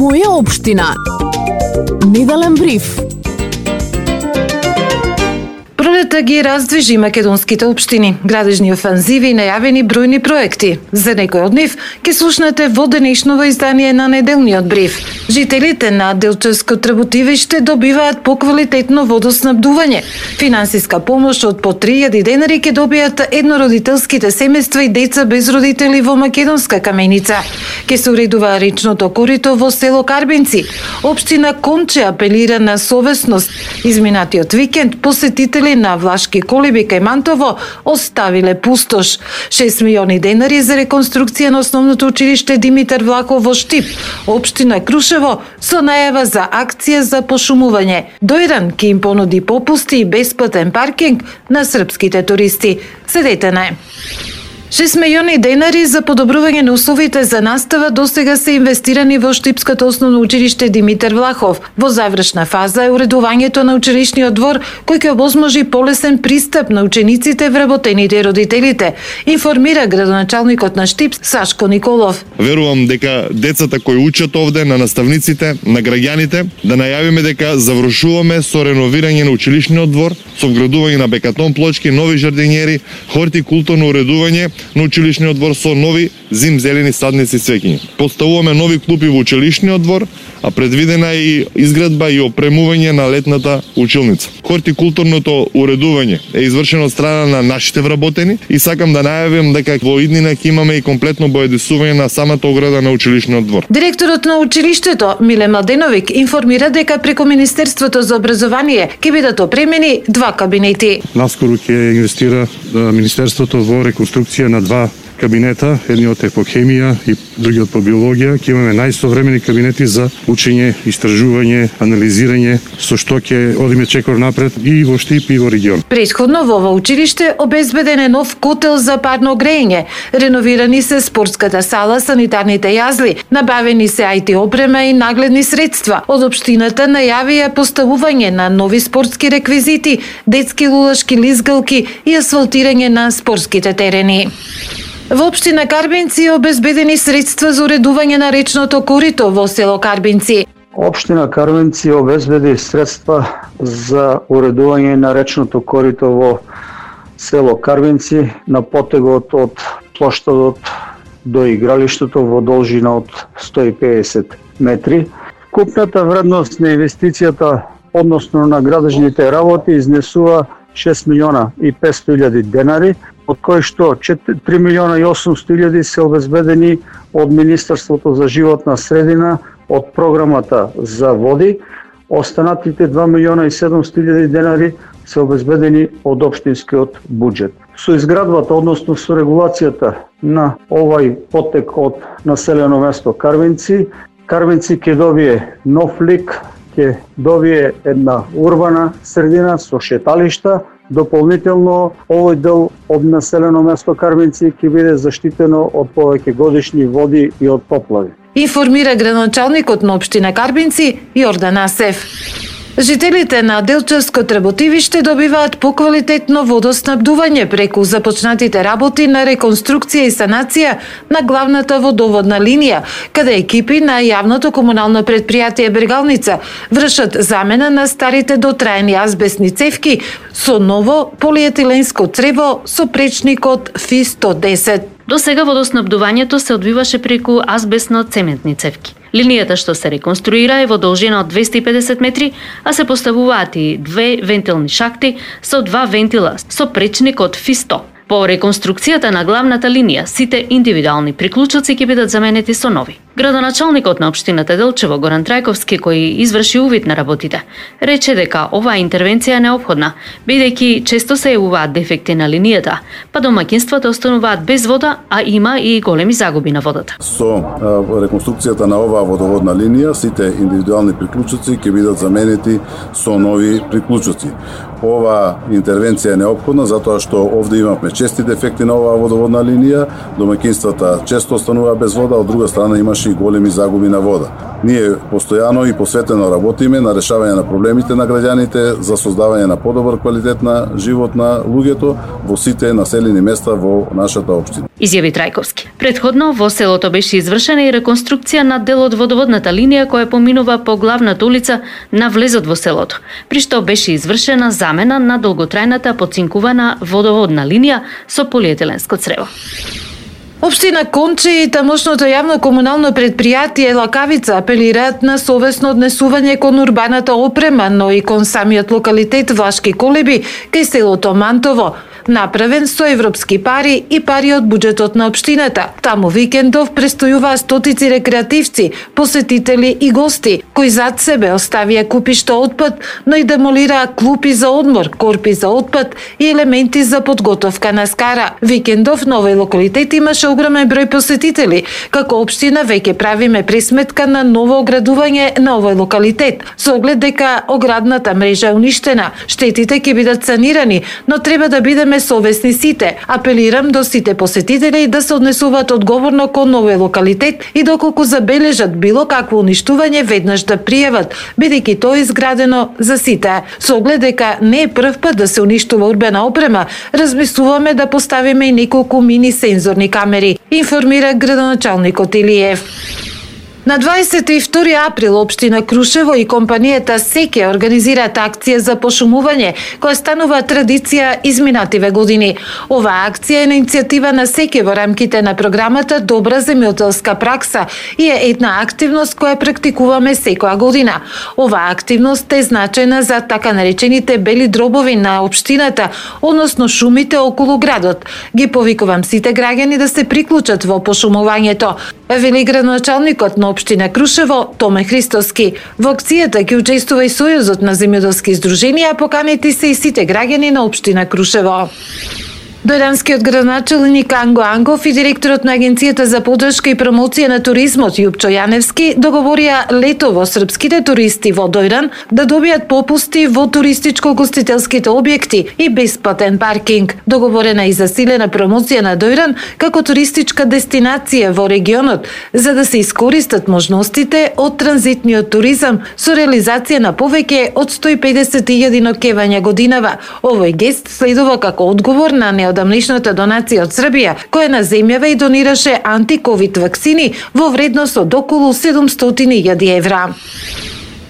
Моја општина. Неделен бриф. Пролета ги раздвижи македонските општини, градежни офанзиви и најавени бројни проекти. За некој од нив ќе слушнете во денешново издание на неделниот бриф. Жителите на Делчевско Требутивиште добиваат поквалитетно водоснабдување. Финансиска помош од по 3000 денари ќе добијат еднородителските семејства и деца без родители во Македонска Каменица. Ќе се уредува речното корито во село Карбинци. Општина Конче апелира на совесност. Изминатиот викенд посетители на Влашки колиби кај Мантово оставиле пустош. 6 милиони денари за реконструкција на основното училиште Димитар Влахов во Штип. Општина Крушево со најава за акција за пошумување. Дојран ќе им понуди попусти и бесплатен паркинг на српските туристи. Следете на 6 милиони денари за подобрување на условите за настава досега се инвестирани во Штипското основно училиште Димитар Влахов. Во завршна фаза е уредувањето на училишниот двор, кој ќе овозможи полесен пристап на учениците, вработените и родителите, информира градоначалникот на Штип Сашко Николов. Верувам дека децата кои учат овде, на наставниците, на граѓаните, да најавиме дека завршуваме со реновирање на училишниот двор, со вградување на бекатон плочки, нови жардинјери, хортикултурно уредување на училишниот двор со нови зимзелени садници и цвеќиња. Поставуваме нови клупи во училишниот двор, а предвидена е и изградба и опремување на летната училница. Хортикултурното уредување е извршено од страна на нашите вработени и сакам да најавим дека во иднина ќе имаме и комплетно боедисување на самата ограда на училишниот двор. Директорот на училиштето Миле Младеновик информира дека преку Министерството за образование ќе бидат опремени 2 кабинети. Наскоро ќе инвестира Министерството во реконструкција на 2 кабинета, едниот е по хемија и другиот по биологија. Ќе имаме најсовремени кабинети за учење, истражување, анализирање, со што ќе одиме чекор напред и во Штип и во регион. Претходно во ова училиште обезбеден е нов котел за парно грејење, реновирани се спортската сала, санитарните јазли, набавени се IT опрема и нагледни средства. Од општината најавија поставување на нови спортски реквизити, детски лулашки лизгалки и асфалтирање на спортските терени. Во општина Карбинци обезбедени средства за уредување на речното корито во село Карбинци. Општина Карбинци обезбеди средства за уредување на речното корито во село Карбинци на потегот од плоштадот до игралиштето во должина од 150 метри. Купната вредност на инвестицијата, односно на градежните работи, изнесува 6 милиона и 500 илјади денари, од кои што 3 милиона и 800 илјади се обезбедени од Министерството за животна средина, од програмата за води. Останатите 2 милиона и 700 илјади денари се обезбедени од општинскиот буџет. Со изградбата, односно со регулацијата на овај потек од населено место Карбинци, Карбинци ќе добие нов лик, ќе добие една урбана средина со шеталишта. Дополнително, овој дел од населено место Карбинци ќе биде заштитено од повеќе годишни води и од поплави. Информира градоначалникот на општина Карбинци Јордан Асев. Жителите на Делчевско Требутивиште добиваат поквалитетно водоснабдување преку започнатите работи на реконструкција и санација на главната водоводна линија, каде екипи на јавното комунално предпријатие Бергалница вршат замена на старите дотраени азбестни цевки со ново полиетиленско црево со пречникот FI-110. До сега водоснабдувањето се одвиваше преку азбестно-цементни цевки. Линијата што се реконструира е во должина од 250 метри, а се поставуваат и 2 вентилни шахти со 2 вентила со пречник од FI-100. По реконструкцијата на главната линија, сите индивидуални приклучоци ќе бидат заменети со нови. Градоначалникот на општината Делчево Горан Трајковски, кој изврши увид на работите, рече дека оваа интервенција е неопходна, бидејќи често се јавуваат дефекти на линијата, па домаќинствата остануваат без вода, а има и големи загуби на водата. Со реконструкцијата на оваа водоводна линија, сите индивидуални приклучоци ќе бидат заменети со нови приклучоци. Ова интервенција е неопходна затоа што овде имавме чести дефекти на оваа водоводна линија, домаќинствата често останува без вода, од друга страна имаше големи загуби на вода. Ние постојано и посветено работиме на решавање на проблемите на граѓаните за создавање на подобар квалитет на живот на луѓето во сите населени места во нашата општина. Изјави Трајковски. Предходно во селото беше извршена и реконструкција на дел од водоводната линија која поминува по главната улица на влезот во селото, при што беше извршена замена на долготрајната поцинкувана водоводна линија со полиетиленско црево. Општина Конче и тамошното јавно комунално предпријатие Лакавица апелираат на совесно однесување кон урбаната опрема, но и кон самиот локалитет Влашки Колеби, кај селото Мантово, направен со европски пари и пари од буџетот на општината. Таму викендов престојуваа стотици рекреативци, посетители и гости, кои зад себе оставија купишта отпад, но и демолираа клупи за одмор, корпи за отпад и елементи за подготовка на скара. Викендов на овој локалитет имаше огромен број посетители. Како општина веќе правиме пресметка на ново оградување на овој локалитет, со оглед дека оградната мрежа е уништена. Штетите ќе бидат санирани, но треба да бидеме совесни сите. Апелирам до сите посетители да се однесуваат одговорно кон овој локалитет и доколку забележат било какво уништување, веднаш да пријават, бидејќи тоа е изградено за сите. Со оглед дека не е прв пат да се уништува урбана опрема, размислуваме да поставиме и неколку мини сензорни камери, информира градоначалникот Илиев. На 22 април општина Крушево и компанијата Секе организираат акција за пошумување, која станува традиција изминативе години. Оваа акција е на иницијатива на Секе во рамките на програмата Добра земјоделска пракса и е една активност која практикуваме секоја година. Оваа активност е значајна за така наречените бели дробови на општината, односно шумите околу градот. Ги повикувам сите граѓани да се приклучат во пошумувањето, вели градоначалникот на општина Крушево Томе Христоски. Во акцијата ќе учествува и Сојузот на земјоделски здруженија, поканети се и сите граѓани на општина Крушево. Дојранскиот градоначалник Анго Ангов и директорот на Агенцијата за поддршка и промоција на туризмот Јупчо Јаневски договорија летово српските туристи во Дојран да добијат попусти во туристичко-гостителските објекти и бесплатен паркинг. Договорена и засилена промоција на Дојран како туристичка дестинација во регионот, за да се искористат можностите од транзитниот туризам со реализација на повеќе од 150.000 ноќевања годинава. Овој гест следува како одговор на неодамнешната донација од Србија, која на земјава и донираше антиковид ваксини во вредност од околу 700.000 евра.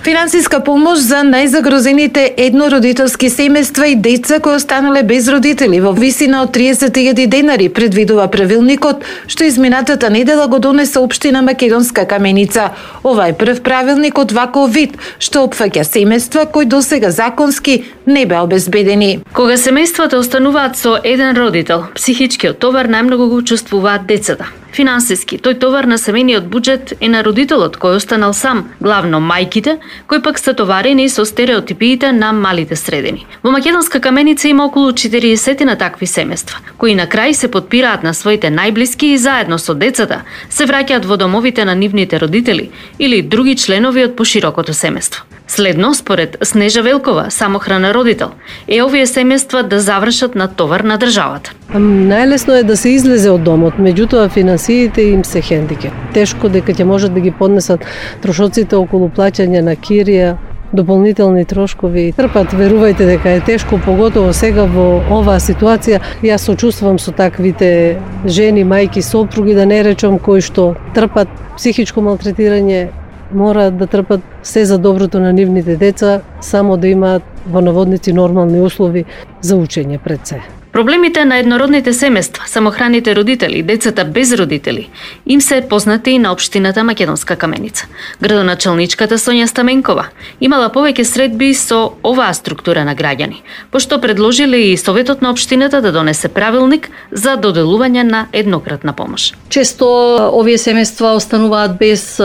Финансиска помош за најзагрозените еднородителски семејства и деца кои останале без родители во висина од 30.000 денари предвидува правилникот, што изминатата недела го донесе општина Македонска Каменица. Ова е прв правилник од ваков вид, што опфаќа семејства кои досега законски не беа обезбедени. Кога семејствата остануваат со еден родител, психичкиот товар најмногу го чувствуваат децата. Финансиски, тој товар на семејниот буџет е на родителот кој останал сам, главно мајките, кои пак се товарени со стереотипиите на малите средини. Во Македонска Каменица има околу 40 на такви семејства, кои на крај се подпираат на своите најблиски и заедно со децата се враќаат во домовите на нивните родители или други членови од поширокото семејство. Следно, според Снежа Велкова, самохрана родител, е овие семејства да завршат на товар на државата. Најлесно е да се излезе од домот, меѓутоа финансиите им се хендикеп. Тешко дека ќе можат да ги поднесат трошоците околу плаќање на кирија, дополнителни трошкови. Трпат, верувајте дека е тешко, поготово сега во оваа ситуација. Јас сочувствувам со таквите жени, мајки, сопруги, да не речам, кои што трпат психичко малтретирање, мораат да трпат се за доброто на нивните деца, само да имаат во наводници нормални услови за учење пред се. Проблемите на еднородните семејства, самохраните родители, децата без родители, им се познати и на општината Македонска Каменица. Градоначалничката Сонја Стаменкова имала повеќе средби со оваа структура на граѓани, пошто предложиле и Советот на општината да донесе правилник за доделување на еднократна помош. Често овие семејства остануваат без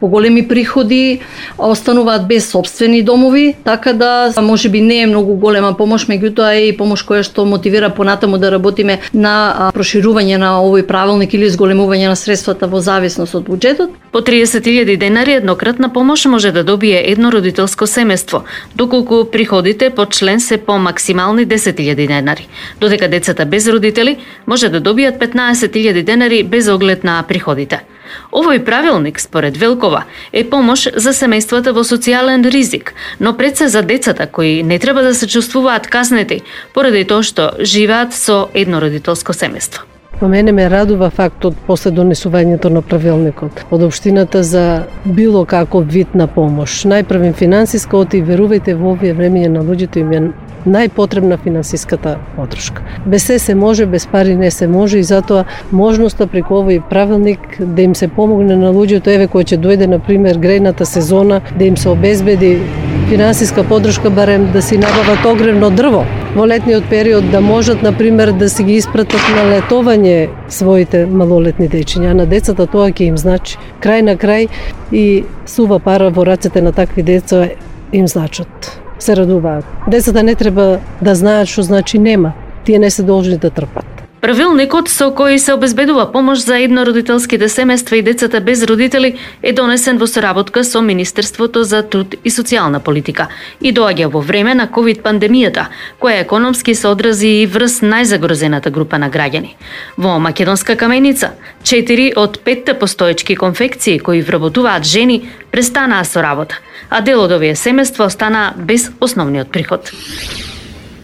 поголеми приходи, остануваат без сопствени домови, така да можеби не е многу голема помош, меѓутоа е и помош која што мотивира понатаму да работиме на проширување на овој правилник или зголемување на средствата во зависност од буџетот. По 30.000 денари еднократна помош може да добие еднородителско семејство, доколку приходите по член се по максимални 10.000 денари, додека децата без родители може да добијат 15.000 денари без оглед на приходите. Овој правилник, според Велкова, е помош за семејствата во социјален ризик, но пред се за децата кои не треба да се чувствуваат казнети поради тоа што живеат со еднородителско семејство. По мене ме радува фактот после донесувањето на правилникот од општината за било каков вид на помош. Најпрвен финансиска, оти верувајте во овие времења на луѓето им е најпотребна финансиската подршка. Без се може, без пари не се може и затоа можноста преку овој правилник да им се помогне на луѓето, еве кој ќе дојде на пример грејната сезона, да им се обезбеди финансиска подршка барем да си набават огревно дрво во летниот период, да можат на пример да си ги испратат на летовање своите малолетни дечиња. На децата тоа ќе им значи крај на крај и сува пара во рацете на такви деца им значат. Се радуваат. Децата не треба да знаат што значи нема. Тие не се должни да трпат. Правилникот со кој се обезбедува помош за еднородителските семејства и децата без родители е донесен во соработка со Министерството за труд и социјална политика и доаѓа во време на ковид пандемијата, која економски се одрази и врз најзагрозената група на граѓани. Во Македонска каменица 4 од 5 постоечки конфекции кои вработуваат жени престанаа со работа, а дел од овие семејства остана без основниот приход.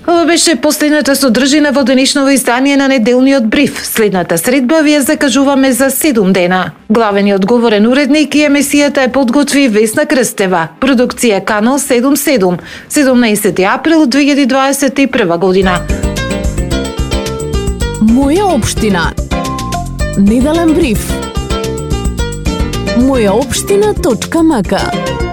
Ова беше последната содржина во денешново издание на неделниот бриф. Следната средба ви ја закажуваме за 7 дена. Главен и одговорен уредник и емисијата е подготви Весна Крстева. Продукција Канал 77. 17 април 2021 година. Моја општина. Неделен бриф. Мојаопштина.мк